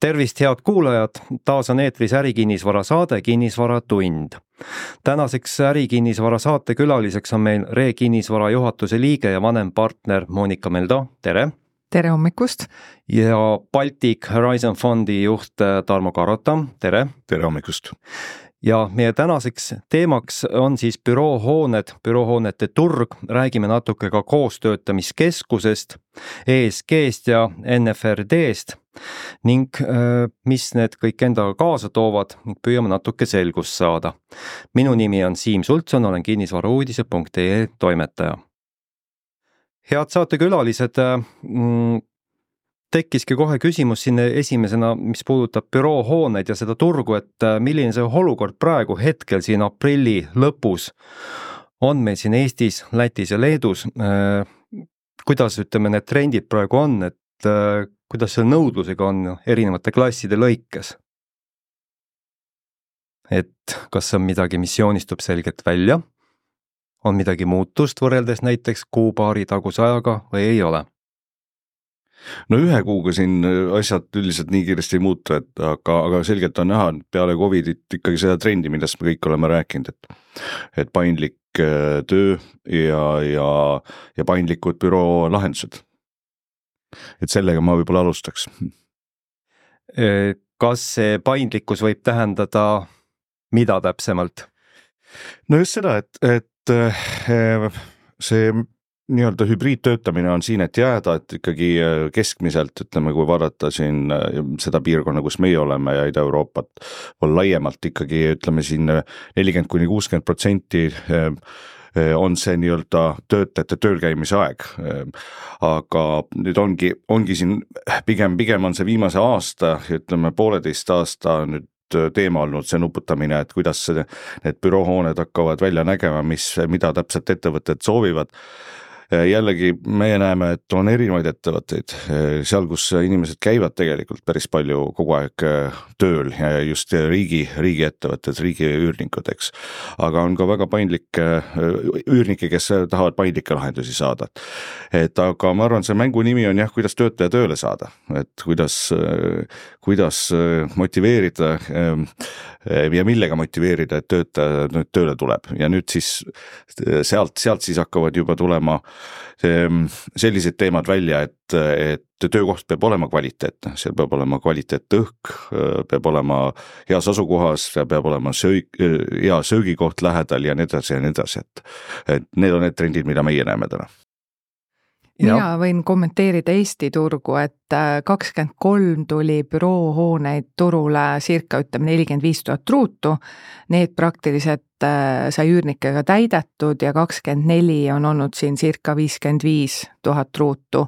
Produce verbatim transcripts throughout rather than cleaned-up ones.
Tervist, head kuulajad! Taas on eetris ärikinnisvara saade Kinnisvaratund. Tänaseks ärikinnisvara saate külaliseks on meil Re Kinnisvara juhatuse liige ja vanem partner Monika Meldo. Tere! Tere hommikust! Ja Baltic Horizon Fondi juht Tarmo Karota. Tere! Tere hommikust! Ja meie tänaseks teemaks on siis büroohooned, büroohoonete turg, räägime natuke ka koostöötamiskeskusest, E S G-st ja N F R D-st ning mis need kõik endaga kaasa toovad ning püüame natuke selgust saada. Minu nimi on Siim Sultson, olen kinnisvarauudise punkt ee toimetaja. Head saatekülalised, tekkiski kohe küsimus sinne esimesena, mis puudutab büroohooneid ja seda turgu, et milline see olukord praegu hetkel siin aprilli lõpus on meil siin Eestis, Lätis ja Leedus. Kuidas ütleme, need trendid praegu on, et kuidas selle nõudlusega on erinevate klasside lõikes? Et kas on midagi, mis joonistub selgelt välja? On midagi muutust võrreldes näiteks kuu-paari taguse ajaga või ei ole? No ühe kuuga siin asjad üldiselt nii kiiresti ei muutu, et, aga, aga selgelt on näha peale Covidit ikkagi seda trendi, millest me kõik oleme rääkinud, et, et paindlik töö ja, ja, ja paindlikud büroo lahendused. Et sellega ma võib-olla alustaks. Kas see paindlikkus võib tähendada mida täpsemalt? No just seda, et, et see nii-öelda hübriidtöötamine on siin, et jääda, et ikkagi keskmiselt, ütleme, kui vaadata siin seda piirkonna, kus meie oleme ja Ida-Euroopat on laiemalt ikkagi, ütleme siin nelikümmend kuni kuuskümmend protsenti on see nii-öelda töötajate töölkäimise aeg. Aga nüüd ongi, ongi siin pigem, pigem on see viimase aasta, ütleme pooleteist aasta nüüd teema olnud see nuputamine, et kuidas see, need büroohooned hakkavad välja nägema, mis, mida täpselt ettevõtted soovivad. Jällegi meie näeme, et on erinevaid ettevõtteid, seal, kus inimesed käivad tegelikult päris palju kogu aeg tööl ja just riigi, riigi ettevõtted, riigi üürnikud, eks. Aga on ka väga paindlikke üürnikke, kes tahavad paindlikke lahendusi saada. Et aga ma arvan, see mängu nimi on jah, kuidas töötaja tööle saada, et kuidas, kuidas motiveerida ja millega motiveerida, et töötaja nüüd tööle tuleb. Ja nüüd siis sealt, sealt siis hakkavad juba tulema sellised teemad välja, et, et töökoht peab olema kvaliteetne, seal peab olema kvaliteetne õhk, peab olema heas asukohas, peab olema söög, hea söögikoht lähedal ja nii edasi ja nii edasi, et, et need on need trendid, mida meie näeme täna. Mina võin kommenteerida Eesti turgu, et kakskümmend kolm tuli büroohooneid turule circa ütleme nelikümmend viis tuhat ruutu, need praktiliselt sai üürnikega täidetud ja kakskümmend neli on olnud siin circa viiskümmend viis tuhat ruutu.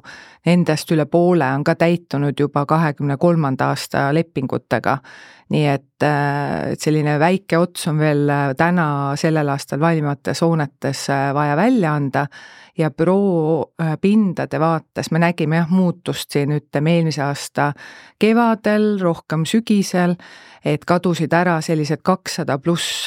Nendest üle poole on ka täitunud juba kahekümne kolmanda aasta lepingutega, nii et selline väike ots on veel täna sellel aastal valmimates hoonetes vaja välja anda ja büroo pindade vaates me nägime jah muutust siin ütleme eelmise aasta kevadel, rohkem sügisel, et kadusid ära sellised kakssada pluss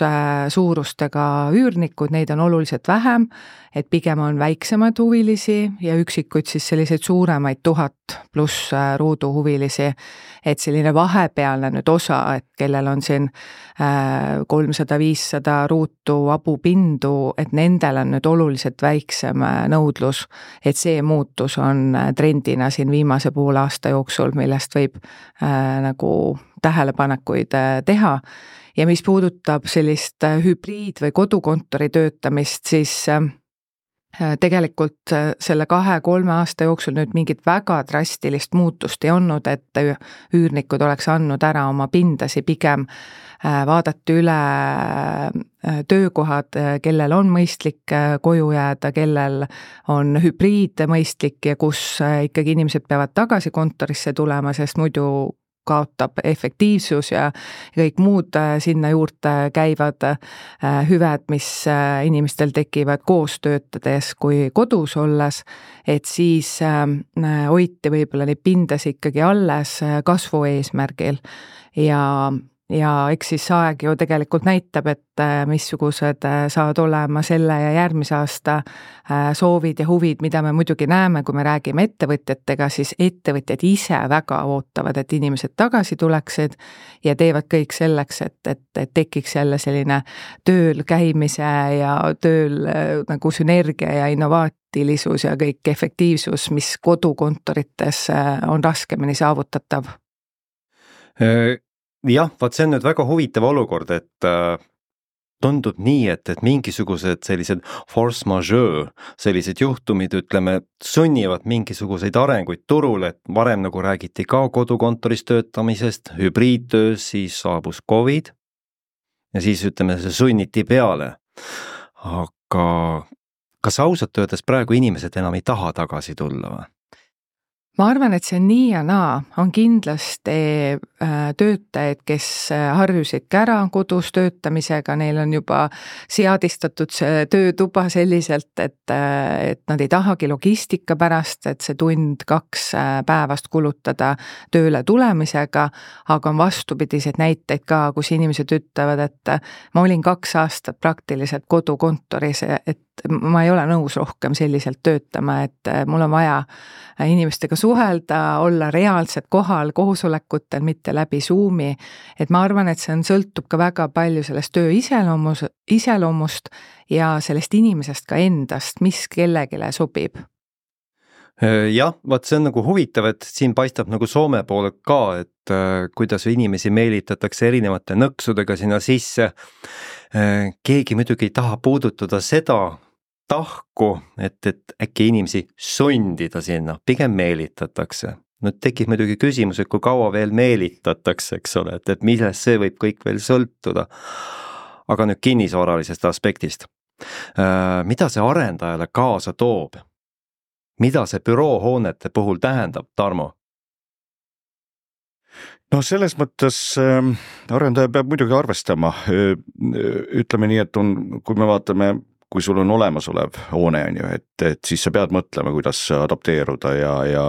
suurustega üürnikud, neid on oluliselt vähem, et pigem on väiksemaid huvilisi ja üksikuid siis selliseid suuremaid tuhat pluss ruudu huvilisi, et selline vahepealne nüüd osa, et kellel on siin kolmsada viissada ruutu abupindu, et nendel on nüüd oluliselt väiksem nõudlus, et see muutus on trendina siin viimase poole aasta jooksul, millest võib äh, nagu tähelepanekuid teha. Ja mis puudutab sellist hübriid- või kodukontori töötamist, siis tegelikult selle kahe-kolme aasta jooksul nüüd mingit väga drastilist muutust ei olnud, et üürnikud oleks andnud ära oma pindasi, pigem vaadati üle töökohad, kellel on mõistlik koju jääda, kellel on hübriid mõistlik ja kus ikkagi inimesed peavad tagasi kontorisse tulema, sest muidu kaotab efektiivsus ja kõik muud sinna juurde käivad hüved, mis inimestel tekivad koos töötades kui kodus olles, et siis hoiti võib-olla neid pindas ikkagi alles kasvu eesmärgil ja ja eks siis aeg ju tegelikult näitab, et missugused saavad olema selle ja järgmise aasta soovid ja huvid, mida me muidugi näeme, kui me räägime ettevõtjatega, siis ettevõtjad ise väga ootavad, et inimesed tagasi tuleksid ja teevad kõik selleks, et, et, et tekiks jälle selline tööl käimise ja tööl nagu sünergia ja innovaatilisus ja kõik efektiivsus, mis kodukontorites on raskemini saavutatav. Jah, vaat see on nüüd väga huvitav olukord, et äh, tundub nii, et, et mingisugused sellised force majeure, sellised juhtumid, ütleme, sunnivad mingisuguseid arenguid turule, et varem nagu räägiti ka kodukontoris töötamisest, hübriidtöös, siis saabus Covid ja siis ütleme, see sunniti peale. Aga kas ausalt öeldes praegu inimesed enam ei taha tagasi tulla või? Ma arvan, et see nii ja naa on kindlasti töötajaid, kes harjusid ära kodus töötamisega, neil on juba seadistatud see töötuba selliselt, et, et nad ei tahagi logistika pärast, et see tund kaks päevast kulutada tööle tulemisega, aga on vastupidiseid näiteid ka, kus inimesed ütlevad, et ma olin kaks aastat praktiliselt kodukontoris, et ma ei ole nõus rohkem selliselt töötama, et mul on vaja inimestega suhelda, olla reaalselt kohal koosolekutel, mitte läbi Zoomi, et ma arvan, et see on, sõltub ka väga palju sellest töö iseloomus, iseloomust ja sellest inimesest ka endast, mis kellegile sobib. Jah, vaat see on nagu huvitav, et siin paistab nagu Soome poole ka, et äh, kuidas inimesi meelitatakse erinevate nõksudega sinna sisse. Äh, keegi muidugi ei taha puudutada seda tahku, et, et äkki inimesi sundida sinna, pigem meelitatakse. Nüüd tekib muidugi küsimus, et kui kaua veel meelitatakse, eks ole, et, et millest see võib kõik veel sõltuda. Aga nüüd kinnisvaralisest aspektist. Äh, mida see arendajale kaasa toob? Mida see büroohoonete puhul tähendab, Tarmo? No selles mõttes äh, arendaja peab muidugi arvestama. Ütleme nii, et on, kui me vaatame, kui sul on olemasolev hoone, on ju, et, et siis sa pead mõtlema, kuidas adapteeruda ja, ja,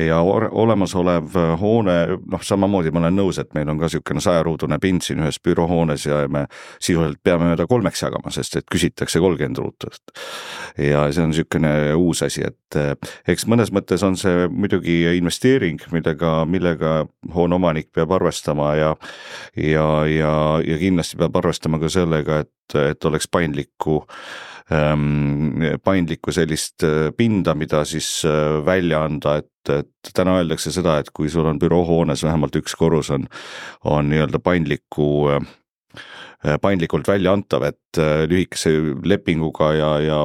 ja olemasolev hoone, noh, samamoodi ma olen nõus, et meil on ka niisugune sajaruudune pind siin ühes büroohoones ja me sisuliselt peame ta kolmeks jagama, sest et küsitakse kolmkümmend ruutust. Ja see on niisugune uus asi, et eks mõnes mõttes on see muidugi investeering, millega, millega hoone omanik peab arvestama ja, ja, ja, ja kindlasti peab arvestama ka sellega, et et oleks paindlikku, ähm, paindlikku sellist pinda, mida siis välja anda, et, et täna öeldakse seda, et kui sul on büroohoones vähemalt üks korrus on, on nii-öelda paindlikku paindlikult välja antav, et lühikese lepinguga ja, ja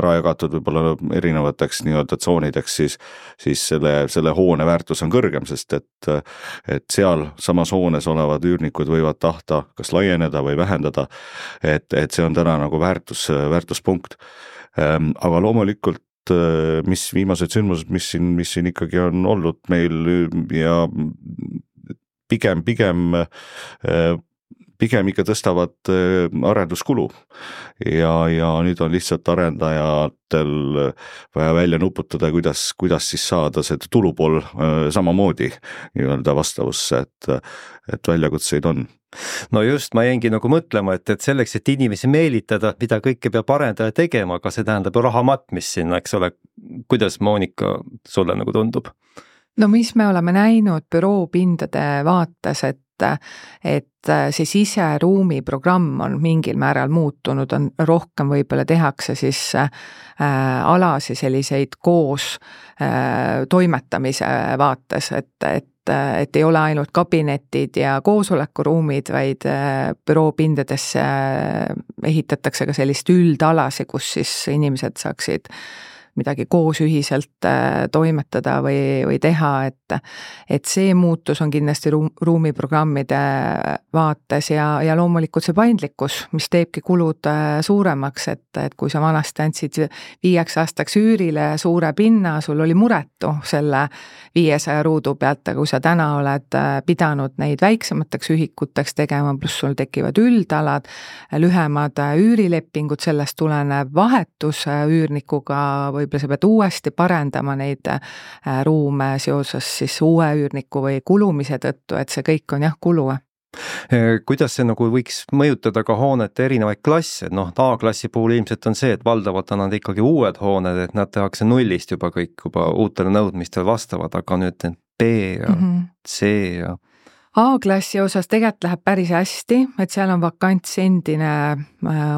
ära jagatud võib-olla erinevateks nii-öelda tsoonideks, siis, siis selle, selle hoone väärtus on kõrgem, sest et, et seal samas hoones olevad üürnikud võivad tahta kas laieneda või vähendada, et, et see on täna nagu väärtus, väärtuspunkt. Aga loomulikult mis viimased sündmused, mis siin, mis siin ikkagi on olnud meil ja pigem, pigem pigem ikka tõstavad arenduskulu ja, ja nüüd on lihtsalt arendajatel vaja välja nuputada, kuidas, kuidas siis saada see tulupool samamoodi nii-öelda vastavusse, et, et väljakutseid on. No just, ma jäingi nagu mõtlema, et, et selleks, et inimesi meelitada, mida kõike peab arendaja tegema, aga see tähendab ju raha matmist sinna, eks ole, kuidas Monika sulle nagu tundub? No mis me oleme näinud büroopindade vaates, et et see siseruumi programm on mingil määral muutunud, on rohkem võib-olla tehakse siis äh, alasi selliseid koos äh, toimetamise vaates, et, et, et ei ole ainult kabinetid ja koosolekuruumid, vaid äh, büroopindadesse ehitatakse ka sellist üldalasi, kus siis inimesed saaksid midagi koos ühiselt toimetada või, või teha, et, et see muutus on kindlasti ruum, ruumiprogrammide vaates ja, ja loomulikult see paindlikkus, mis teebki kulud suuremaks, et, et kui sa vanasti andsid viieks aastaks üürile suure pinna, sul oli muretu selle viiesaja ruudu pealt, aga kui sa täna oled pidanud neid väiksemateks ühikuteks tegema, pluss sul tekivad üldalad, lühemad üürilepingud, sellest tulenev vahetus üürnikuga või võib-olla sa pead uuesti parendama neid ruume seoses siis uue üürniku või kulumise tõttu, et see kõik on jah kulu. Kuidas see nagu võiks mõjutada ka hoonete erinevaid klasse, noh A-klassi puhul ilmselt on see, et valdavalt on nad ikkagi uued hooned, et nad tehakse nullist juba kõik juba uutele nõudmistel vastavad, aga nüüd B ja mm -hmm. C ja A-klassi osas tegelikult läheb päris hästi, et seal on vakants endine,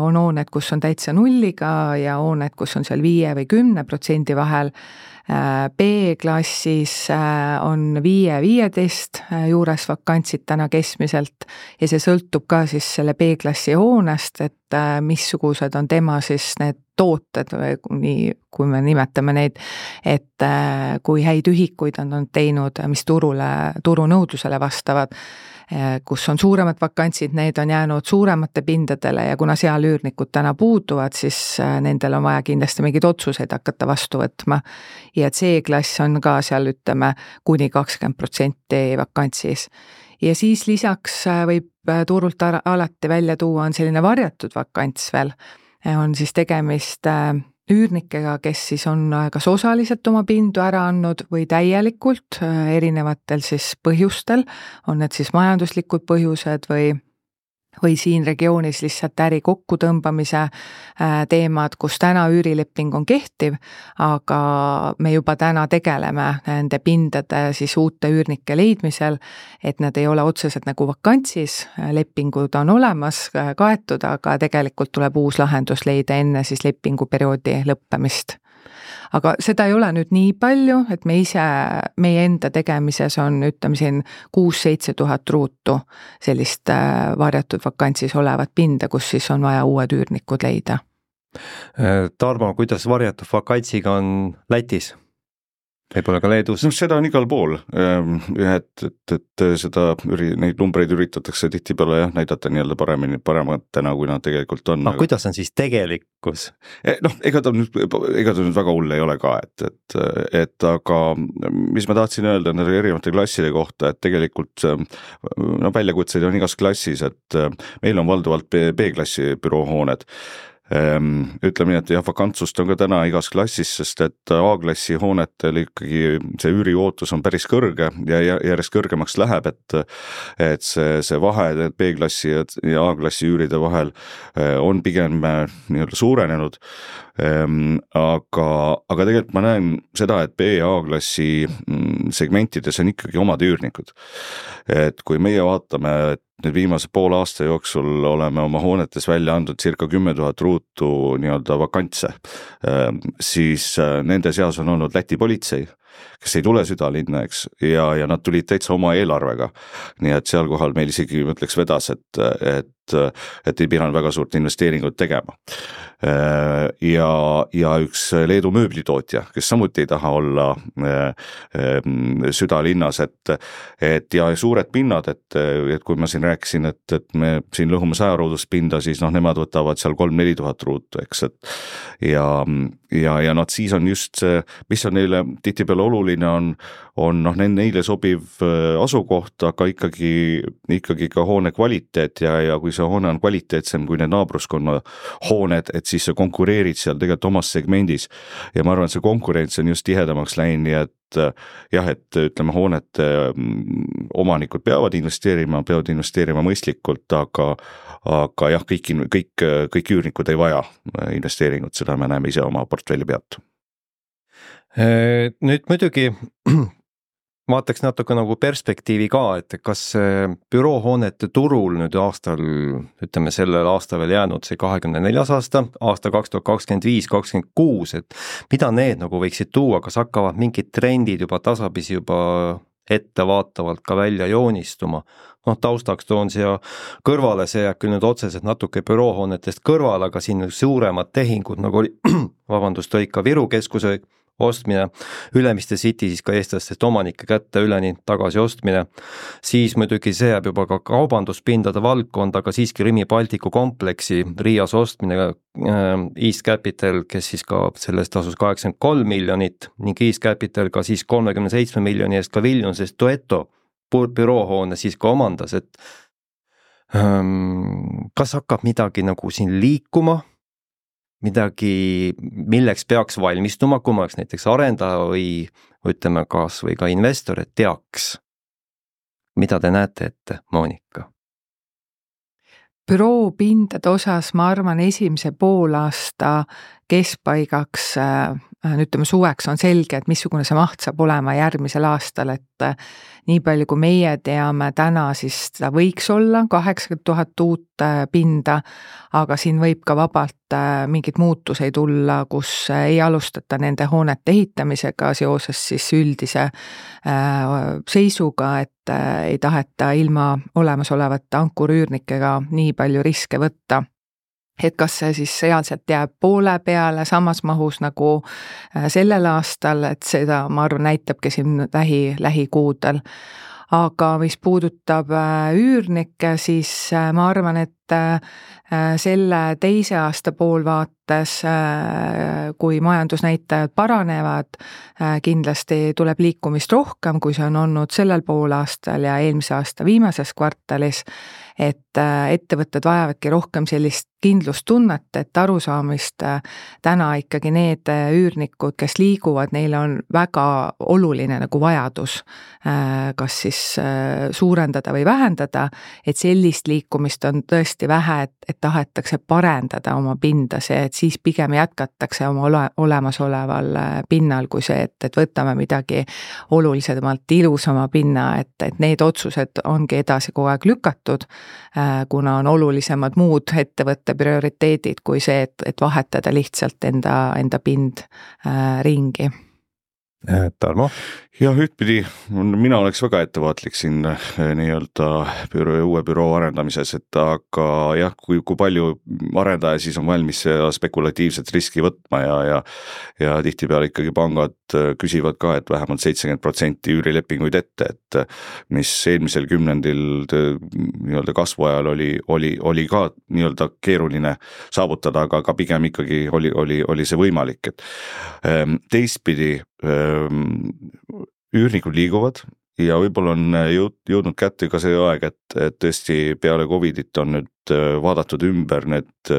on hooned, kus on täitsa nulliga ja hooned, kus on seal viie või kümne protsendi vahel. B-klassis on viie viieteist juures vakantsid täna keskmiselt ja see sõltub ka siis selle B-klassi hoonest, et missugused on tema siis need tooted või nii, kui me nimetame neid, et kui häid ühikuid on, on teinud, mis turule, turunõudlusele vastavad, kus on suuremad vakantsid, need on jäänud suuremate pindadele ja kuna seal üürnikud täna puuduvad, siis nendel on vaja kindlasti mingeid otsuseid hakata vastu võtma. Ja C-klass on ka seal, ütleme, kuni kakskümmend protsenti vakantsis. Ja siis lisaks võib turult alati välja tuua on selline varjatud vakants veel. On siis tegemist üürnikega, kes siis on kas osaliselt oma pindu ära andnud või täielikult erinevatel siis põhjustel, on need siis majanduslikud põhjused või või siin regioonis lihtsalt äri kokkutõmbamise teemad, kus täna üürileping on kehtiv, aga me juba täna tegeleme nende pindade siis uute üürnike leidmisel, et nad ei ole otseselt nagu vakantsis, lepingud on olemas, kaetud, aga tegelikult tuleb uus lahendus leida enne siis lepinguperioodi lõppemist. Aga seda ei ole nüüd nii palju, et me ise, meie enda tegemises on, ütleme siin, kuus-seitse tuhat ruutu sellist varjatud vakantsis olevat pinda, kus siis on vaja uued üürnikud leida. Tarmo, kuidas varjatud vakantsiga on Lätis? Võib-olla ka Leedus? No seda on igal pool, et, et, et seda, neid numbreid üritatakse tihti peale jah, näidata nii-öelda paremini, parematena, kui nad tegelikult on. No aga kuidas on siis tegelikkus? Noh, ega ta nüüd, ega ta nüüd väga hull ei ole ka, et, et, et aga mis ma tahtsin öelda nende erinevate klasside kohta, et tegelikult no, väljakutseid on igas klassis, et meil on valdavalt B-klassi büroohooned. Ütleme nii, et jah, vakantsust on ka täna igas klassis, sest et A-klassi hoonetel ikkagi see üüriootus on päris kõrge ja järjest kõrgemaks läheb, et, et see, see vahe B-klassi ja A-klassi üüride vahel on pigem nii-öelda suurenenud. Aga, aga tegelikult ma näen seda, et B- ja A-klassi segmentides on ikkagi omad üürnikud. Et kui meie vaatame, et nüüd viimase pool aasta jooksul oleme oma hoonetes välja andnud circa kümme tuhat ruutu nii-öelda vakantse, siis nende seas on olnud Läti politsei, kes ei tule südalinna, eks, ja, ja nad tulid täitsa oma eelarvega. Nii et seal kohal meil isegi mõtleks vedas, et, et, et ei pidanud väga suurt investeeringut tegema. Ja, ja üks Leedu mööblitootja, kes samuti ei taha olla südalinnas, et, et ja suured pinnad, et, et kui ma siin rääkisin, et, et me siin lõhume saja ruudust pinda, siis noh, nemad võtavad seal kolm-neli tuhat ruutu, eks, et ja, ja, ja noh, siis on just see, mis on neile tihtipeale oluline on, on noh, neile sobiv asukoht, aga ikkagi, ikkagi ka hoone kvaliteet ja, ja kui see hoone on kvaliteetsem kui need naabruskonna hooned, et siis sa konkureerid seal tegelikult omas segmendis ja ma arvan, et see konkurents on just tihedamaks läinud, nii et jah, et ütleme, hoonete omanikud peavad investeerima, peavad investeerima mõistlikult, aga, aga jah, kõik, kõik, kõik üürnikud ei vaja investeeringut, seda me näeme ise oma portfelli pealt. Nüüd muidugi vaataks natuke nagu perspektiivi ka, et kas büroohoonete turul nüüd aastal, ütleme sellel aasta veel jäänud see kahekümne neljas aasta, aasta kaks tuhat kakskümmend viis kakskümmend kuus, et mida need nagu võiksid tuua, kas hakkavad mingid trendid juba tasapisi juba ettevaatavalt ka välja joonistuma? Noh, taustaks toon siia kõrvale, see jääb küll nüüd otseselt natuke büroohoonetest kõrvale, aga siin suuremad tehingud nagu oli, vabandust, oli ka Viru keskuse ostmine, Ülemiste City siis ka eestlastest omanike kätte üleni tagasi ostmine, siis muidugi see jääb juba ka kaubanduspindade valdkond, aga siiski Rimi Baltiku kompleksi Riias ostmine, East Capital, kes siis ka sellest tasus kaheksakümmend kolm miljonit ning East Capital ka siis kolmekümne seitsme miljoni eest ka Vilniuses Duetto büroohoone siis ka omandas, et kas hakkab midagi nagu siin liikuma, midagi, milleks peaks valmistuma, kui ma oleks näiteks arendaja või ütleme kas või ka investor, et teaks, mida te näete ette, Monika? büroo pindade osas ma arvan, esimese poolaasta keskpaigaks, ütleme suveks on selge, et missugune see maht saab olema järgmisel aastal, et nii palju kui meie teame täna, siis seda võiks olla kaheksakümmend tuhat uut pinda, aga siin võib ka vabalt mingeid muutuseid tulla, kus ei alustata nende hoonete ehitamisega seoses siis üldise seisuga, et ei taheta ilma olemasolevate ankurüürnikega nii palju riske võtta. Et kas see siis sealselt jääb poole peale samas mahus nagu sellel aastal, et seda ma arvan näitabki siin lähi, lähikuudel. Aga mis puudutab üürnikke, siis ma arvan, et selle teise aasta poolvaates, kui majandusnäitajad paranevad, kindlasti tuleb liikumist rohkem, kui see on olnud sellel poolaastal ja eelmise aasta viimases kvartalis, et ettevõtted vajavadki rohkem sellist kindlustunnet, et arusaamist täna ikkagi need üürnikud, kes liiguvad, neil on väga oluline nagu vajadus, kas siis suurendada või vähendada, et sellist liikumist on tõesti vähe, et, et tahetakse parendada oma pinda, see, et siis pigem jätkatakse oma ole, olemasoleval pinnal, kui see, et, et võtame midagi olulisemalt ilusama pinna, et, et need otsused ongi edasi kogu aeg lükatud, kuna on olulisemad muud ettevõtte prioriteedid kui see, et, et vahetada lihtsalt enda, enda pind äh, ringi. Tarmo? Jah, ühtpidi, mina oleks väga ettevaatlik siin nii-öelda büroo, uue büroo arendamises, et aga jah, kui, kui palju arendaja siis on valmis spekulatiivset riski võtma ja, ja, ja tihtipeale ikkagi pangad küsivad ka, et vähemalt seitsekümmend protsenti üürilepinguid ette, et mis eelmisel kümnendil nii-öelda kasvu ajal oli, oli, oli ka nii-öelda keeruline saavutada, aga, aga pigem ikkagi oli, oli, oli see võimalik, et teistpidi üürnikud liiguvad ja võib-olla on jõud, jõudnud kätte ka see aeg, et, et tõesti peale Covidit on nüüd vaadatud ümber need,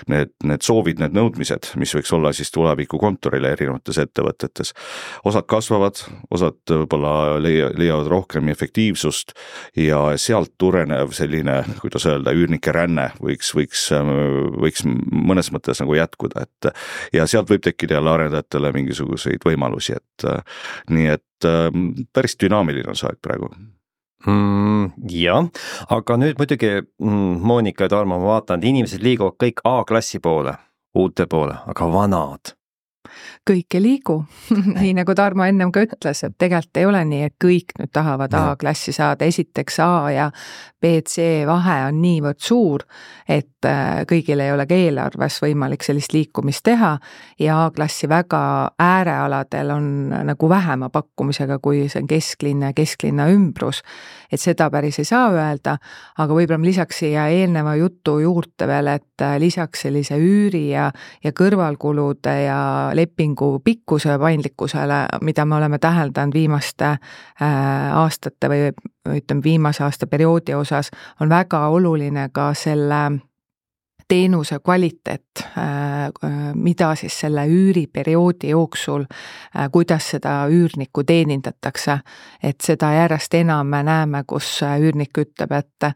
need, need soovid, need nõudmised, mis võiks olla siis tuleviku kontorile erinevates ettevõtetes. Osad kasvavad, osad võib-olla leia, leiavad rohkem efektiivsust ja sealt turenev selline, kuidas öelda, üürnike ränne võiks, võiks, võiks mõnes mõttes nagu jätkuda, et ja sealt võib tekkida jälle arendajatele mingisuguseid võimalusi, et nii et päris dünaamiline on see aeg praegu. Mm, jah, aga nüüd muidugi mm, Monika ja Tarmo, ma vaatan, et inimesed liiguvad kõik A-klassi poole, uute poole, aga vanad. Kõik ei liigu, nii nagu Tarmo ennem ka ütles, et tegelikult ei ole nii, et kõik nüüd tahavad A-klassi saada, esiteks A ja B C vahe on niivõrd suur, et kõigil ei ole ka eelarves võimalik sellist liikumist teha ja A-klassi väga äärealadel on nagu vähema pakkumisega, kui see on kesklinna ja kesklinna ümbrus, et seda päris ei saa öelda, aga võib-olla lisaks siia eelneva jutu juurde veel, et lisaks sellise üüri ja, ja kõrvalkulude ja lepingu pikkuse paindlikkusele, mida me oleme täheldanud viimaste aastate või ütleme viimase aasta perioodi osas, on väga oluline ka selle teenuse kvaliteet, mida siis selle üüriperioodi jooksul, kuidas seda üürnikku teenindatakse, et seda järjest enam me näeme, kus üürnik ütleb, et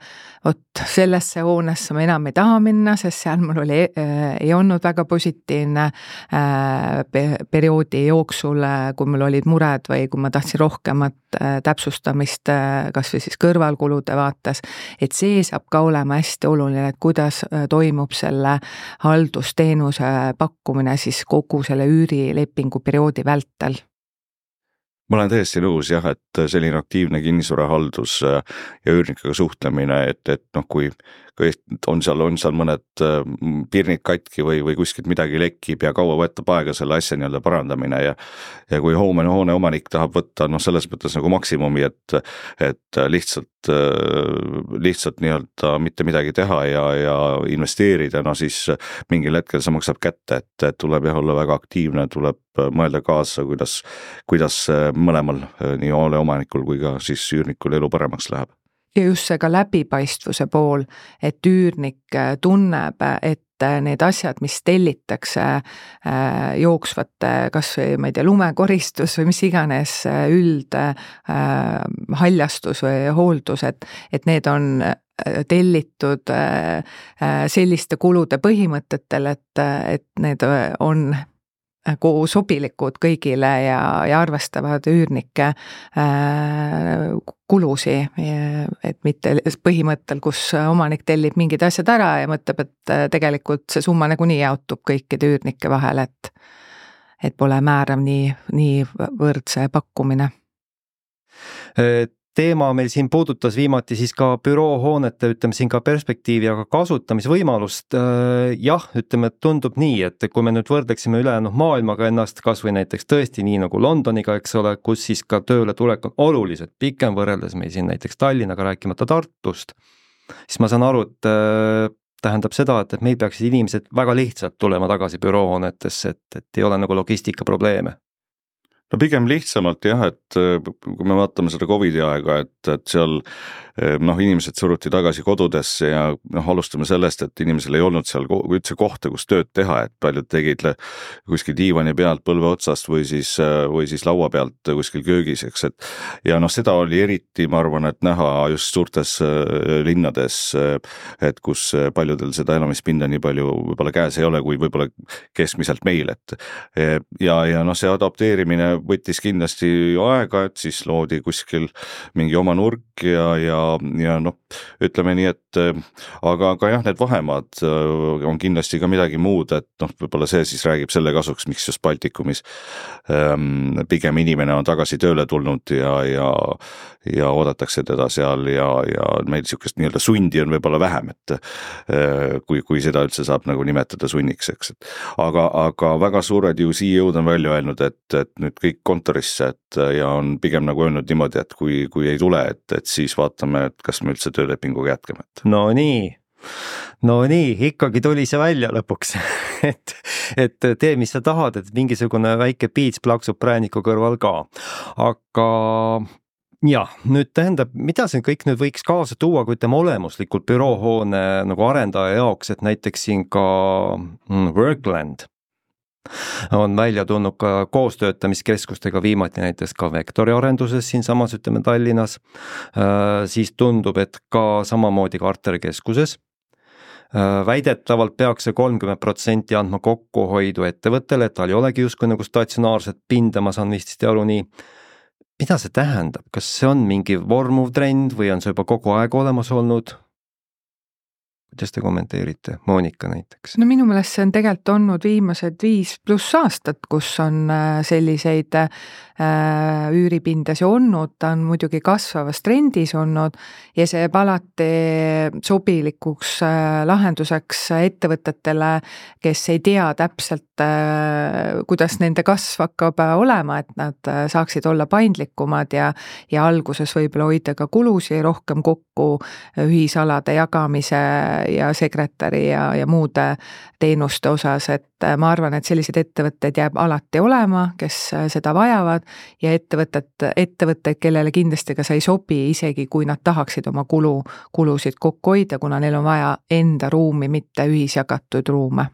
vot sellesse hoonesse ma enam ei taha minna, sest seal mul oli, ei olnud väga positiivne perioodi jooksul, kui mul olid mured või kui ma tahtsin rohkemat täpsustamist, kas või siis kõrvalkulude vaates, et see saab ka olema hästi oluline, et kuidas toimub selle haldusteenuse pakkumine siis kogu selle üürilepingu perioodi vältel. Ma olen täiesti nõus jah, et selline aktiivne kinnisvarahaldus ja üürnikega suhtlemine, et, et noh, kui on seal, on seal mõned pirnid katki või, või kuskilt midagi lekib ja kaua võtab aega selle asja nii-öelda parandamine ja, ja kui hoone, hoone omanik tahab võtta noh, selles mõttes nagu maksimumi, et, et lihtsalt, lihtsalt nii-öelda mitte midagi teha ja, ja investeerida, no siis mingil hetkel see maksab kätte, et, et tuleb jah olla väga aktiivne, tuleb mõelda kaasa, kuidas, kuidas mõlemal nii hoone omanikul kui ka siis üürnikul elu paremaks läheb. Ja just see ka läbipaistvuse pool, et üürnik tunneb, et need asjad, mis tellitakse jooksvate, kas või, ma ei tea, lumekoristus või mis iganes üld haljastus või hooldus, et, et need on tellitud selliste kulude põhimõtetel, et, et need on koos sobilikud kõigile ja, ja arvestavad üürnike äh, kulusi, et mitte põhimõttel, kus omanik tellib mingid asjad ära ja mõtleb, et tegelikult see summa nagunii jaotub kõikide üürnike vahel, et, et pole määrav nii, nii võrdse pakkumine. Teema meil siin puudutas viimati siis ka büroohoonete, ütleme siin ka perspektiivi, aga kasutamisvõimalust. Jah, ütleme, et tundub nii, et kui me nüüd võrdleksime ülejäänud maailmaga ennast, kas või näiteks tõesti nii nagu Londoniga, eks ole, kus siis ka tööle tulek on oluliselt pikem võrreldes meil siin näiteks Tallinnaga, rääkimata Tartust, siis ma saan aru, et tähendab seda, et meil peaksid inimesed väga lihtsalt tulema tagasi büroohoonetesse, et, et ei ole nagu logistika probleeme. No pigem lihtsamalt jah, et kui me vaatame seda Covidi aega, et, et seal noh, inimesed suruti tagasi kodudesse ja noh, alustame sellest, et inimesel ei olnud seal üldse kohta, kus tööd teha, et paljud tegid kuskil diivani pealt põlve otsast või siis, või siis laua pealt kuskil köögis, eks, et ja noh, seda oli eriti, ma arvan, et näha just suurtes linnades, et kus paljudel seda elamispinda nii palju võib-olla käes ei ole, kui võib-olla keskmiselt meil, et ja, ja noh, see adapteerimine võttis kindlasti aega, et siis loodi kuskil mingi oma nurk ja, ja, ja noh, ütleme nii, et aga, aga jah, need vahemaad on kindlasti ka midagi muud, et noh, võib-olla see siis räägib selle kasuks, miks just Baltikumis ähm, pigem inimene on tagasi tööle tulnud ja, ja, ja oodatakse teda seal ja, ja meil niisugust nii-öelda sundi on võib-olla vähem, et äh, kui, kui seda üldse saab nagu nimetada sunniks, eks, et aga, aga väga suured ju C E O-d on välja öelnud, et, et nüüd kõik kontorisse, et ja on pigem nagu öelnud niimoodi, et kui, kui ei tule, et, et siis vaatame, et kas me üldse töölepinguga jätkame. No nii, no nii, ikkagi tuli see välja lõpuks, et, et tee, mis sa tahad, et mingisugune väike piits plaksub prääniku kõrval ka. Aga jah, nüüd tähendab, mida see kõik nüüd võiks kaasa tuua, kui ütleme olemuslikult büroohoone nagu arendaja jaoks, et näiteks siin ka Workland on välja tulnud ka koostöötamiskeskustega viimati näiteks ka Vektori arenduses siin samas, ütleme Tallinnas, siis tundub, et ka samamoodi Karterkeskuses. Väidetavalt peaks see kolmkümmend protsenti andma kokkuhoidu ettevõttele, et tal ei olegi justkui nagu statsionaarset pinda, ma saan vist aru nii. Mida see tähendab? Kas see on mingi vormuv trend või on see juba kogu aeg olemas olnud? Kuidas te kommenteerite? Monika näiteks. No minu meelest see on tegelikult olnud viimased viis pluss aastat, kus on selliseid äh, üüripindasi olnud, ta on muidugi kasvavas trendis olnud ja see jääb alati sobilikuks äh, lahenduseks ettevõtetele, kes ei tea täpselt, äh, kuidas nende kasv hakkab olema, et nad saaksid olla paindlikumad ja, ja alguses võib-olla hoida ka kulusi rohkem kokku ühisalade jagamise ja sekretäri ja, ja muude teenuste osas, et ma arvan, et sellised ettevõtted jääb alati olema, kes seda vajavad ja ettevõtted, ettevõtted, kellele kindlasti ka sa ei sobi, isegi kui nad tahaksid oma kulu, kulusid kokku hoida, kuna neil on vaja enda ruumi, mitte ühisjagatud ruume.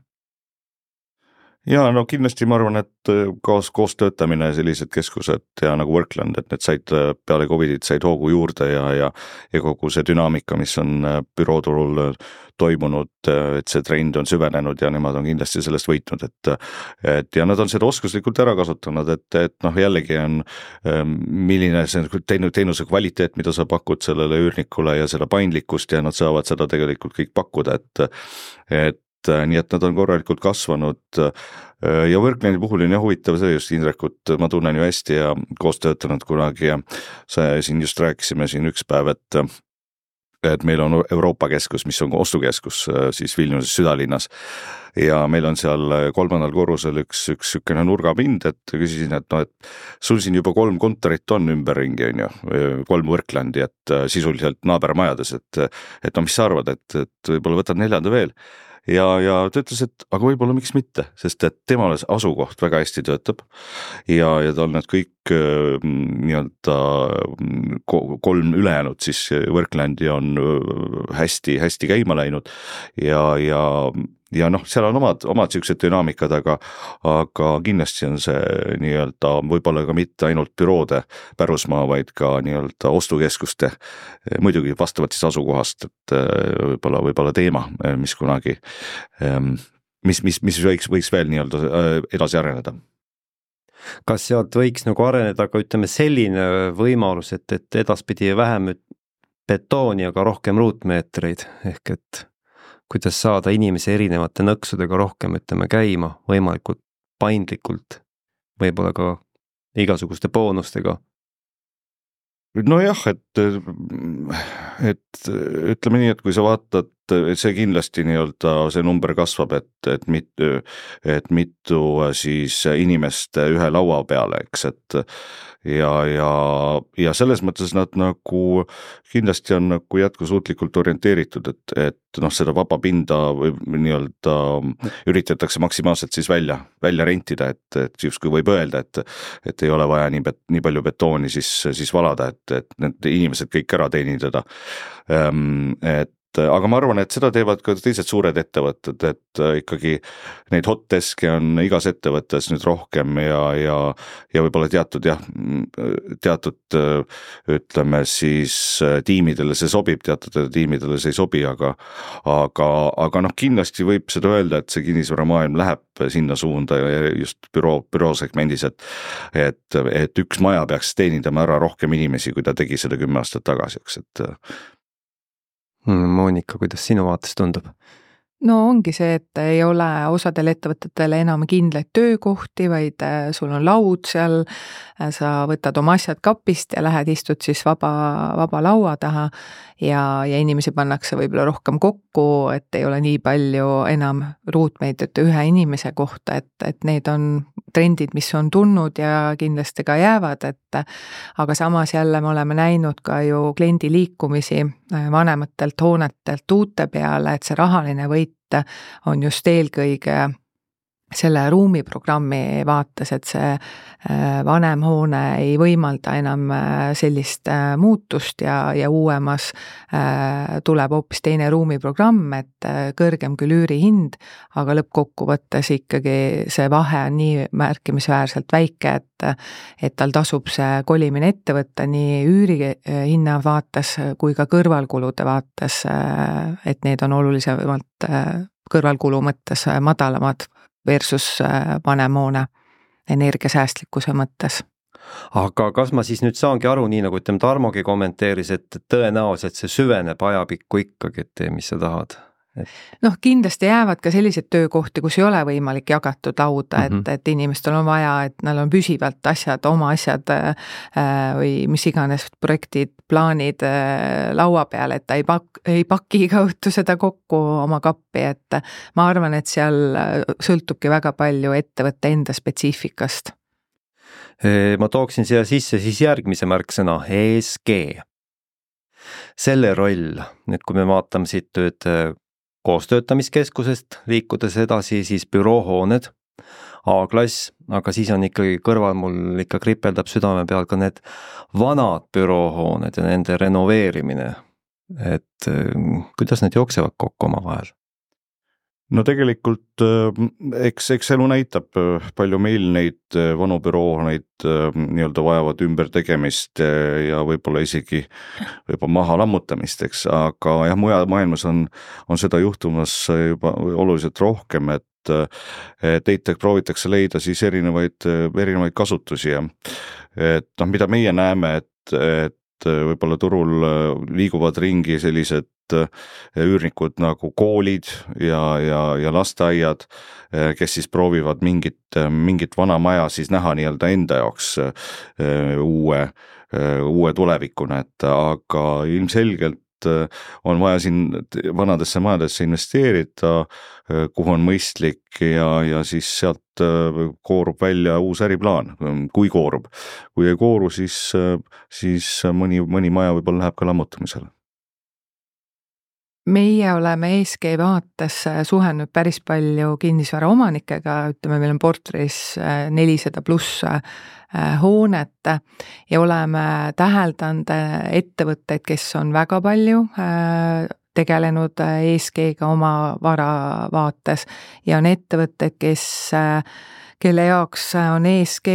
Ja no kindlasti ma arvan, et koos, koos töötamine sellised keskused ja nagu Workland, et need said peale Covidit said hoogu juurde ja, ja, ja kogu see dünaamika, mis on bürooturul toimunud, et see trend on süvenenud ja nemad on kindlasti sellest võitnud, et, et ja nad on seda oskuslikult ära kasutanud, et, et noh, jällegi on milline see teenuse kvaliteet, mida sa pakud sellele üürnikule ja seda paindlikkust ja nad saavad seda tegelikult kõik pakkuda, et, et nii et nad on korralikult kasvanud ja Worklandi puhul on jah huvitav see just Indrekut, ma tunnen ju hästi ja koos töötanud kunagi ja sa siin just rääkisime siin üks päev, et et meil on Euroopa keskus, mis on ostukeskus siis Vilniuses südalinnas ja meil on seal kolmandal korrusel üks, üks sükene nurgapind, et küsisin, et no, et sul siin juba kolm kontorit on ümberringi, on ju, kolm Worklandi, et sisuliselt naabermajades, et, et no mis sa arvad, et, et võib-olla võtad neljanda veel. Ja, ja ta ütles, et aga võib-olla miks mitte, sest et temale asukoht väga hästi töötab ja, ja tal need kõik nii-öelda kolm ülejäänud siis Worklandi on hästi, hästi käima läinud ja, ja ja noh, seal on omad, omad siuksed dünaamikad, aga, aga kindlasti on see nii-öelda võib-olla ka mitte ainult büroode pärusmaa, vaid ka nii-öelda ostukeskuste, muidugi vastavalt siis asukohast, et võib-olla, võib-olla teema, mis kunagi, mis, mis, mis võiks, võiks veel nii-öelda edasi areneda. Kas sealt võiks nagu areneda ka ütleme selline võimalus, et, et edaspidi vähem betooni, aga rohkem ruutmeetreid, ehk et kuidas saada inimese erinevate nõksudega rohkem ütleme käima, võimalikult paindlikult, võib-olla ka igasuguste boonustega? Nojah, et, et ütleme nii, et kui sa vaatad, see kindlasti nii-öelda see number kasvab, et, et mitu, et mitu siis inimest ühe laua peale, eks, et ja, ja, ja selles mõttes nad nagu kindlasti on nagu jätkusuutlikult orienteeritud, et, et noh, seda vaba pinda või nii-öelda üritatakse maksimaalselt siis välja, välja rentida, et, et justkui võib öelda, et, et ei ole vaja nii, bet, nii palju betooni siis, siis valada, et, et need inimesed kõik ära teenindada. Et aga ma arvan, et seda teevad ka teised suured ettevõtted, et ikkagi neid hot deske on igas ettevõttes nüüd rohkem ja, ja, ja võib-olla teatud jah, teatud ütleme siis tiimidele see sobib, teatud tiimidele see ei sobi, aga, aga, aga noh, kindlasti võib seda öelda, et see kinnisvaramaailm läheb sinna suunda ja just büroo, büroo segmendis, et, et, et üks maja peaks teenindama ära rohkem inimesi, kui ta tegi seda kümme aastat tagasi, eks, et Monika, kuidas sinu vaates tundub? No ongi see, et ei ole osadel ettevõtetele enam kindlaid töökohti, vaid sul on laud seal, sa võtad oma asjad kapist ja lähed istud siis vaba, vaba laua taha ja, ja inimesi pannakse võib-olla rohkem kokku, et ei ole nii palju enam ruutmeetrit ühe inimese kohta, et, et need on trendid, mis on tulnud ja kindlasti ka jäävad, et aga samas jälle me oleme näinud ka ju kliendi liikumisi vanematelt hoonetelt uute peale, et see rahaline võit on just eelkõige selle ruumiprogrammi vaates, et see vanem hoone ei võimalda enam sellist muutust ja, ja uuemas tuleb hoopis teine ruumiprogramm, et kõrgem küll üürihind, aga lõppkokkuvõttes ikkagi see vahe on nii märkimisväärselt väike, et, et tal tasub see kolimine ette võtta nii üürihinna vaates kui ka kõrvalkulude vaates, et need on olulisemalt kõrvalkulu mõttes madalamad versus vanem hoone energiasäästlikkuse mõttes. Aga kas ma siis nüüd saangi aru, nii nagu ütleme Tarmogi kommenteeris, et tõenäoliselt see süveneb ajapikku ikkagi, et tee, mis sa tahad? Et... noh, kindlasti jäävad ka sellised töökohti, kus ei ole võimalik jagatud lauda, mm-hmm. et, et inimestel on vaja, et neil on püsivalt asjad, oma asjad äh, või mis iganes projektid, plaanid äh, laua peal, et ta ei, pak, ei paki iga õhtu seda kokku oma kappi, et ma arvan, et seal sõltubki väga palju ettevõtte enda spetsiifikast. Ma tooksin siia sisse siis järgmise märksõna, E S G. Selle roll, nüüd kui me vaatame siit tööd koostöötamiskeskusest liikudes edasi, siis büroohooned, A-klass, aga siis on ikkagi kõrval mul ikka kripeldab südame peal ka need vanad büroohooned ja nende renoveerimine. Et kuidas need jooksevad kokku oma vahel? No tegelikult eks, eks elu näitab, palju meil neid vanu büroohoneid nii-öelda vajavad ümber tegemist ja võib-olla isegi võib-olla maha lammutamist, eks, aga jah, mujal maailmas on, on seda juhtumas juba oluliselt rohkem, et teitek proovitakse leida siis erinevaid, erinevaid kasutusi ja et noh, mida meie näeme, et, et võib-olla turul liiguvad ringi sellised üürnikud nagu koolid ja, ja, ja lasteaiad, kes siis proovivad mingit, mingit vana maja siis näha nii-öelda enda jaoks uue, uue tulevikuna, et aga ilmselgelt on vaja siin vanadesse majadesse investeerida, kuhu on mõistlik ja, ja siis sealt koorub välja uus äriplaan, kui koorub. Kui ei kooru, siis, siis mõni, mõni maja võib-olla läheb ka lammutamisele. Meie oleme E S G vaates suhelnud päris palju kinnisvara omanikega, ütleme, meil on portfellis nelisada pluss hoonet ja oleme täheldanud ettevõtteid, kes on väga palju tegelenud E S G-ga oma vara vaates ja on ettevõtted, kes kelle jaoks on E S G,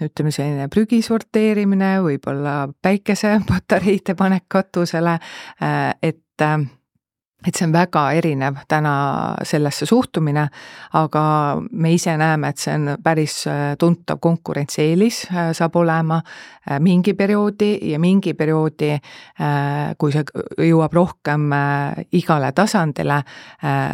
ütleme selline prügi sorteerimine, võib-olla päikesepatareide panek katusele, et et see on väga erinev täna sellesse suhtumine, aga me ise näeme, et see on päris tuntav konkurentsieelis saab olema mingi perioodi ja mingi perioodi, kui see jõuab rohkem igale tasandile,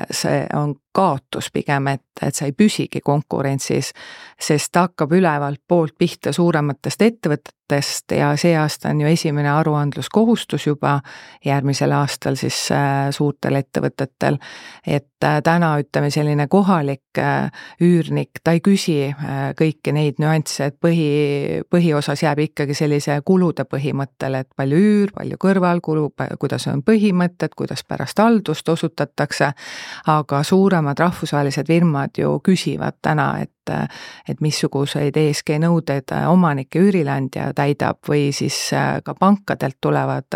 see on kaotus pigem, et, et sa ei püsigi konkurentsis, sest ta hakkab ülevalt poolt pihta suurematest ettevõtetest ja see aasta on ju esimene aruandluskohustus juba järgmisel aastal siis suurtel ettevõtetel, et täna ütleme selline kohalik üürnik, ta ei küsi kõiki neid nüansse, et põhi, põhiosas jääb ikkagi sellise kulude põhimõttele, et palju üür, palju kõrvalkulu, kuidas on põhimõtted, kuidas pärast haldust osutatakse, aga suurem rahvusvahelised firmad ju küsivad täna, et, et missuguseid E S G nõudeid omanike üürileandja täidab või siis ka pankadelt tulevad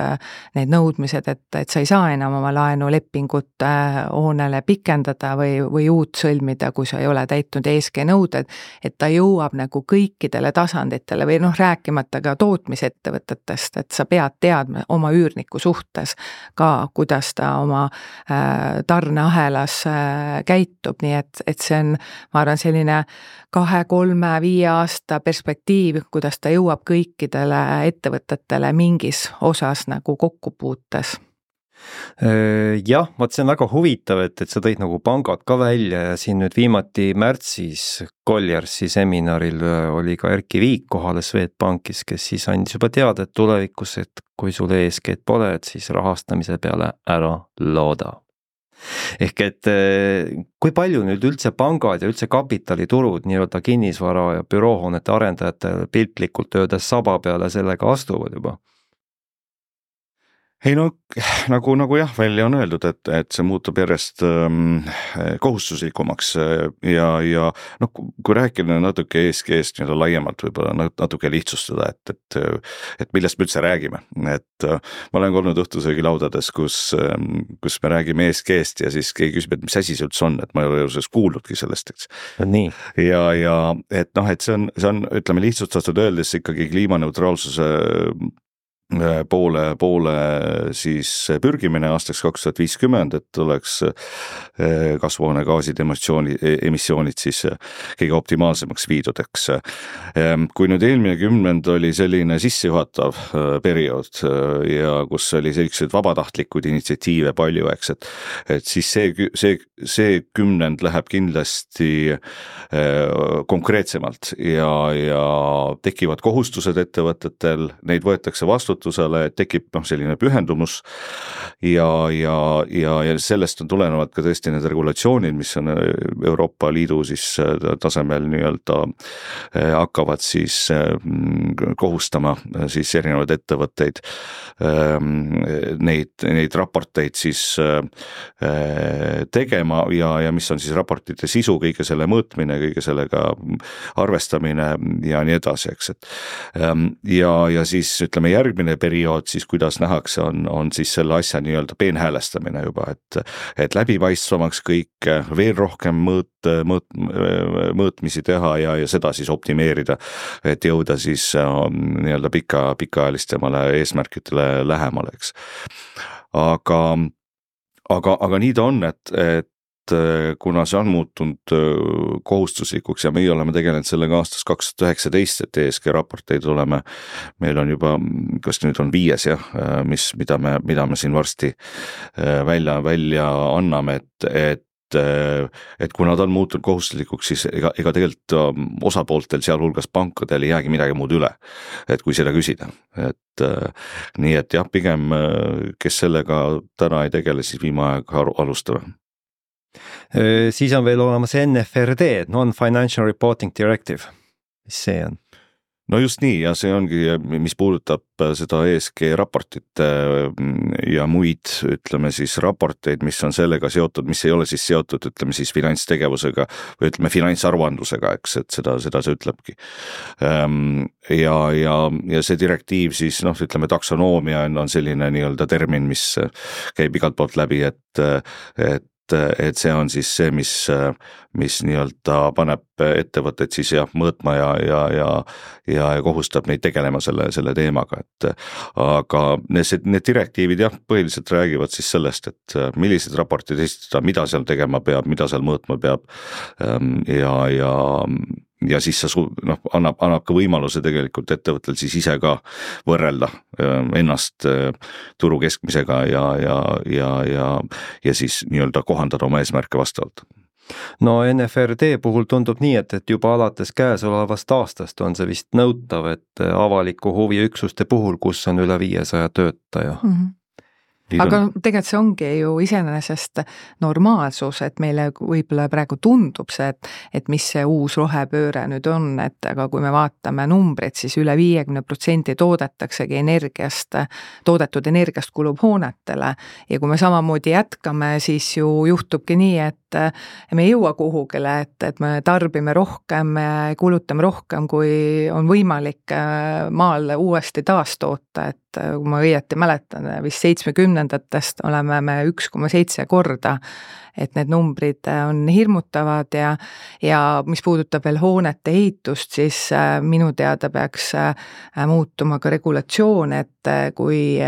need nõudmised, et, et sa ei saa enam oma laenulepingut hoonele pikendada või, või uut sõlmida, kui sa ei ole täitnud E S G nõuded, et ta jõuab nagu kõikidele tasanditele või noh, rääkimata ka tootmisettevõtetest, et sa pead teadma oma üürniku suhtes ka, kuidas ta oma tarneahelas käitub, nii et, et see on, ma arvan, selline kahe, kolme, viie aasta perspektiiv, kuidas ta jõuab kõikidele ettevõtetele mingis osas nagu kokkupuutes. Jah, vaat see on väga huvitav, et, et sa tõid nagu pangad ka välja ja siin nüüd viimati märtsis Colliarsi seminaril oli ka Erki Viik kohale Swedbankis, kes siis andis juba teada, et tulevikus, et kui sul E S G-d pole, et siis rahastamise peale ära looda. Ehk et kui palju nüüd üldse pangad ja üldse kapitaliturud nii-öelda kinnisvara ja büroohoonete arendajate piltlikult öeldes saba peale sellega astuvad juba? Ei no nagu, nagu jah, välja on öeldud, et, et see muutub järjest ähm, kohustuslikumaks ja, ja noh, kui rääkida natuke E S G-st nii-öelda laiemalt võib-olla natuke lihtsustada, et, et, et millest me üldse räägime. Et äh, ma olen olnud õhtusöögilaudades, kus, ähm, kus me räägime E S G-st ja siis keegi küsib, et mis asi see üldse on, et ma ei ole sellest kuulnudki sellest, eks. Nii. Ja, ja et noh, et see on, see on, ütleme lihtsustatud öeldes ikkagi kliimaneutraalsuse poole, poole siis pürgimine aastaks kaks tuhat viiskümmend, et oleks kasvuhoonegaasid emissiooni, emissioonid siis kõige optimaalsemaks viidudeks. Kui nüüd eelmine kümnend oli selline sissejuhatav periood ja kus oli sellised vabatahtlikud initsiatiive palju, eks, et, et siis see, see, see kümnend läheb kindlasti konkreetsemalt ja, ja tekivad kohustused ettevõtetel, neid võetakse vastu et tekib noh, selline pühendumus ja, ja, ja, ja sellest on tulenevad ka tõesti need regulatsioonid, mis on Euroopa Liidu siis tasemel nii-öelda hakkavad siis kohustama siis erinevaid ettevõtteid neid, neid raporteid siis tegema ja, ja mis on siis raportite sisu, kõige selle mõõtmine, kõige sellega arvestamine ja nii edasi, eks, et ja, ja siis ütleme järgmine periood siis, kuidas nähakse, on, on siis selle asja nii-öelda peenhäälestamine juba, et, et läbipaistvamaks kõik, veel rohkem mõõt, mõõt, mõõtmisi teha ja, ja seda siis optimeerida, et jõuda siis nii-öelda pika, pikaajalistele eesmärkidele lähemale, eks. Aga, aga, aga nii ta on, et, et kuna see on muutunud kohustuslikuks ja meie oleme tegelenud sellega aastast kaks tuhat üheksateist, et E S G raporteid oleme, meil on juba, kas nüüd on viies jah, mis, mida me, mida me siin varsti välja, välja anname, et, et et kuna ta on muutunud kohustuslikuks, siis ega, ega tegelikult osapooltel, sealhulgas pankadel ei jäägi midagi muud üle, et kui seda küsida. Et nii, et jah, pigem kes sellega täna ei tegele, siis viime aega alustame. Siis on veel olemas N F R D, Non-Financial Reporting Directive. Mis see on? no just nii ja see ongi, mis puudutab seda E S G raportit ja muid, ütleme siis raporteid, mis on sellega seotud, mis ei ole siis seotud, ütleme siis finantstegevusega või ütleme finantsaruandlusega, eks, et seda, seda see ütlebki. Ja, ja, ja see direktiiv siis, noh, ütleme taksonoomia on, on selline nii-öelda termin, mis käib igalt poolt läbi, et, et et see on siis see, mis, mis nii-öelda paneb ettevõtted siis jah mõõtma ja, ja, ja, ja kohustab neid tegelema selle, selle teemaga, et aga need, need direktiivid jah, põhiliselt räägivad siis sellest, et millised raportid esitada, mida seal tegema peab, mida seal mõõtma peab ja, ja ja siis sa noh, annab, annab ka võimaluse tegelikult ettevõttel siis ise ka võrrelda ennast turu keskmisega ja, ja, ja, ja, ja siis nii-öelda kohandada oma eesmärke vastavalt. No N F R D puhul tundub nii, et, et juba alates käesolevast aastast on see vist nõutav, et avaliku huvi üksuste puhul, kus on üle viiesaja töötaja. Mm-hmm. Aga tegelikult see ongi ju iseenesest normaalsus, et meile võib-olla praegu tundub see, et, et mis see uus rohepööre nüüd on, et aga kui me vaatame numbreid, siis üle viiekümne protsendi toodetaksegi energiast, toodetud energiast kulub hoonetele ja kui me samamoodi jätkame, siis ju juhtubki nii, et me ei jõua kuhugile, et, et me tarbime rohkem, kulutame rohkem, kui on võimalik maal uuesti taastoota, et kui ma õieti mäletan, vist seitsmekümnendatest oleme me üks koma seitse korda, et need numbrid on hirmutavad ja, ja mis puudutab veel hoonete ehitust, siis minu teada peaks muutuma ka regulatsioon, et kui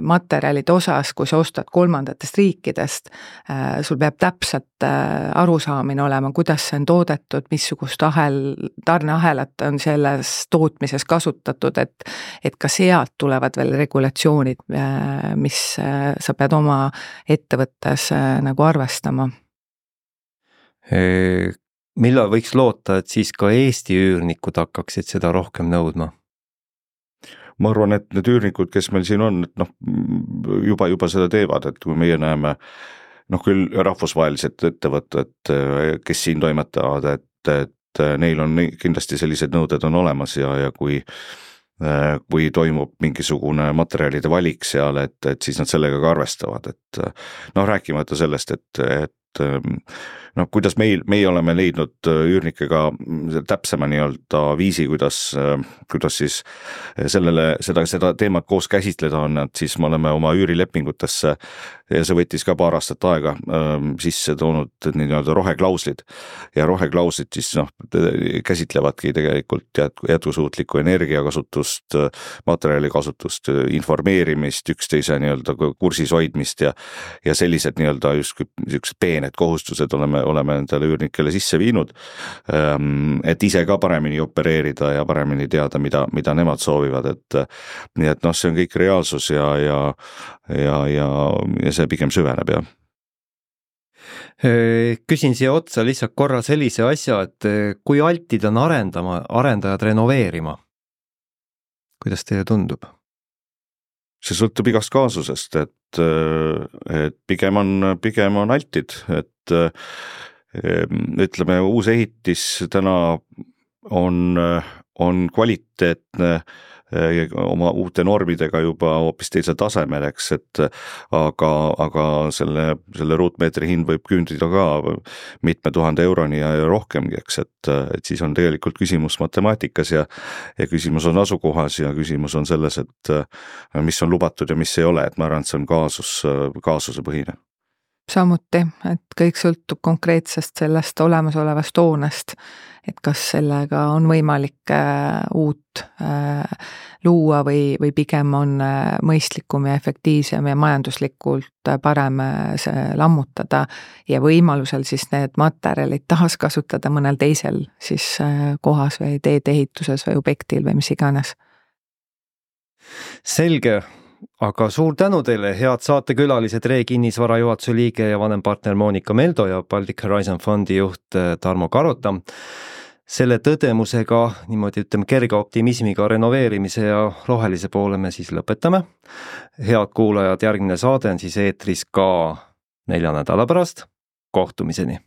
materjalide osas, kui sa ostad kolmandatest riikidest, sul peab täpselt arusaamine olema, kuidas see on toodetud, missugust ahel, tarneahelat on selles tootmises kasutatud, et, et ka sealt tulevad veel regulatsioonid, mis sa pead oma ettevõttes nagu arvestama. Millal võiks loota, et siis ka Eesti üürnikud hakkaksid seda rohkem nõudma? Ma arvan, et need üürnikud, kes meil siin on, et noh, juba, juba seda teevad, et kui meie näeme, noh küll rahvusvahelised ettevõtted, kes siin toimetavad, et, et neil on kindlasti sellised nõuded on olemas ja, ja kui kui toimub mingisugune materjalide valik seal, et, et siis nad sellega ka arvestavad, et noh, rääkimata sellest, et, et noh, kuidas meil, meie oleme leidnud üürnikega täpsema nii-öelda viisi, kuidas, kuidas siis sellele, seda, seda teemat koos käsitleda on, et siis me oleme oma üürilepingutesse ja see võttis ka paar aastat aega sisse toonud nii-öelda roheklauslid ja roheklauslid siis noh, käsitlevadki tegelikult jätkusuutlikku energiakasutust, materjalikasutust, informeerimist, üksteise nii-öelda kursis hoidmist ja, ja sellised nii-öelda just üks peened kohustused oleme, oleme endale üürnikele sisse viinud, et ise ka paremini opereerida ja paremini teada, mida, mida nemad soovivad, et nii et noh, see on kõik reaalsus ja, ja, ja, ja, ja see pigem süveneb, jah. Küsin siia otsa lihtsalt korra sellise asja, et kui altid on arendama, arendajad renoveerima? Kuidas teile tundub? See sõltub igast kaasusest, et, et pigem on, pigem on altid, et ütleme, uus ehitis täna on, on kvaliteetne oma uute normidega juba hoopis teisel tasemel, eks, et aga, aga selle, selle ruutmeetri hind võib küündida ka mitme tuhande euroni ja rohkemgi, eks, et, et siis on tegelikult küsimus matemaatikas ja, ja küsimus on asukohas ja küsimus on selles, et mis on lubatud ja mis ei ole, et ma arvan, et see on kaasus, kaasuse põhine. Samuti, et kõik sõltub konkreetsest sellest olemasolevast hoonest, et kas sellega on võimalik uut luua või, või pigem on mõistlikum ja efektiivsem ja majanduslikult parem see lammutada ja võimalusel siis need materjalid taaskasutada mõnel teisel siis kohas või teedeehituses või objektil või mis iganes. Selge. Aga suur tänu teile, head saatekülalised, Ree Kinnisvara juhatuse liige ja vanempartner Monika Meldo ja Baltic Horizon Fondi juht Tarmo Karota. Selle tõdemusega, niimoodi ütleme kerge optimismiga renoveerimise ja rohelise poole me siis lõpetame. Head kuulajad, järgmine saade on siis eetris ka nelja nädala pärast. Kohtumiseni!